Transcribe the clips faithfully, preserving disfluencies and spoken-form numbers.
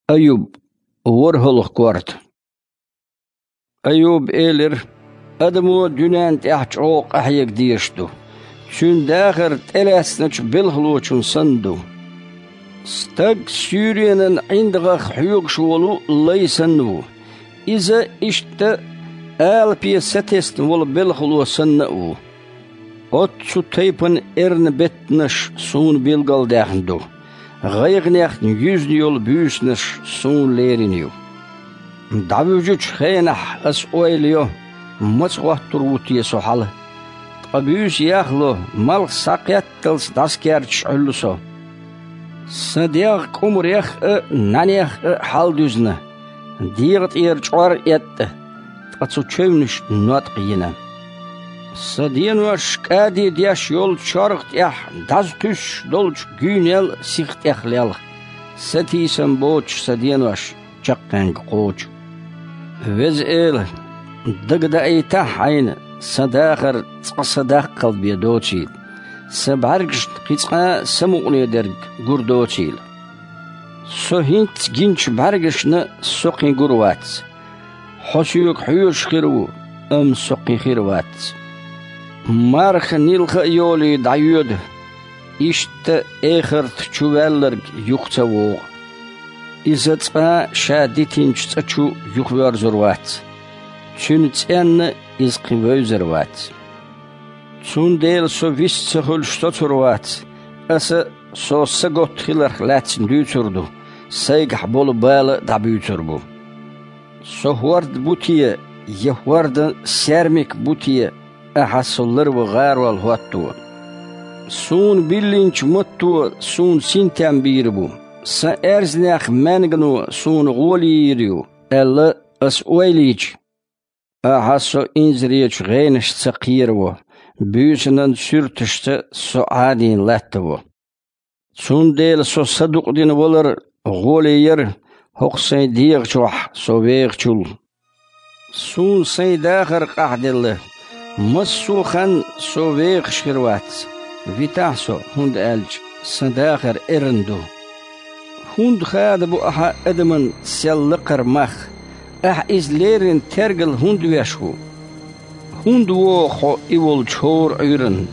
Аюб, ворхӀалгӀа корта. Аюба элира: «Адамо дуьнен тӀехь чӀогӀа къахьега дезаш ду. Цуьнан дахар тӀелаьцначу белхалочун санна ду. Стаг суьйренан ӀиндагӀах хьоьгуш волу лай санна ву. Иза иштта алапе сатесна волу белхало санна а ву. Оццу тайпана эрна беттанаш суна билгалдаьхна ду, гӀайгӀанехь юьзна йолу буьйсанаш суна лерина ю. ДӀавуьжучу хенахь аса ойла йо, маца хӀоттур ву те со хьала. Ткъа буьйса яхло, малх схьакхетталц дӀасакерташ Ӏуьллу со. Сан дегӀ кӀумарех а, нӀаьнех а хьалдуьзна, дегӀа тӀера чкъор а эттӀа, ткъа цу чевнаш ноткъа йина. Сан денош кӀаде деш йолчу чоргӀа тӀехь дӀазакхуьссуш долчу гуьйнел сиха тӀехлелха, сатийсам боцуш сан денош чаккхенга кхочу. Веза Эла, дагадаийтахьа хьайна, сан дахар цкъа сан даккхал бен доцийла, сан бӀаьргашна кхин цкъа а самукъане дерг гур доцийла. Со хӀинцца гиначу бӀаьргашна со кхин гур вац. Хьо соьга хьоьжуш хир ву, амма со кхин хир вац. Марха нилха а йолий дӀайоьду, иштта эхарта чу ваьлларг юха ца вогӀу. Иза цкъа а ша дитинчу цӀа чу юхавоьрзур вац. Цуьнан цӀенна иза кхин вевзар вац. Цундела со вист ца хуьлуш соцур вац. Аса со саготта хиларх лаьцна дуьйцур ду, сайгахь болу бала а дӀабуьйцур бу. Со хӀорд бу те, я хӀордан саьрмик бу те, ахьа со ларван гӀарол хӀотто? Суна биллинчу матто суна синтем бийр бу, сан аьрзнех маьнгано суна гӀоли йийр ю, аьлла, аса ойла йича, ахьа со инзаречу гӀенашца кхераво, буьйсанан суьрташца со Ӏадийна латтаво. Цундела со садукъдина валар гӀоле яра хӀокху сайн дегӀа чохь со вехачул. Суна сайн дахар къахьделла, массо а хан со вехаш хир вац, витахь со, хӀунда аьлча сан дахар эрна ду. ХӀунда хада бу ахьа адаман сел лакхара мах? Ахьа иза леррина тергал хӀунда веш ву? ХӀунда вогӀу хьо и волчу хӀора Ӏуьйранна?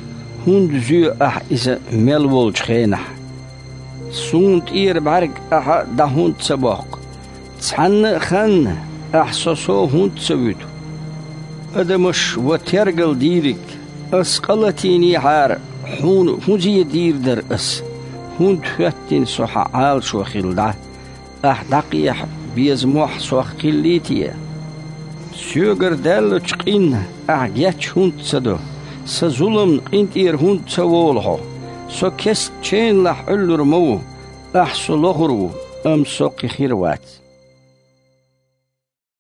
ХӀунда зоь ахьа иза мел волчу хенахь? Суна тӀера бӀаьрг ахьа дӀа хӀунда ца боккху? Цхьанна а ханна ахьа со сов хӀунда ца вуьту? Адамаш ва тергал дийриг, ас къа латийнехьара, хьуна хӀун зе дийр дара ас? ХӀунда хӀоьттина со хьан Ӏалашо хилла дӀа? Ахь дӀакхехьа беза мохь сох хиллий те? Соьгара даьллачу къинна ахь геч хӀунда ца до? Сан зуламна къинтӀера хӀунда ца волу хьо? Со кест ченлахь Ӏуьллур ма ву, ахь со лохур ву, амма со кхин хир вац.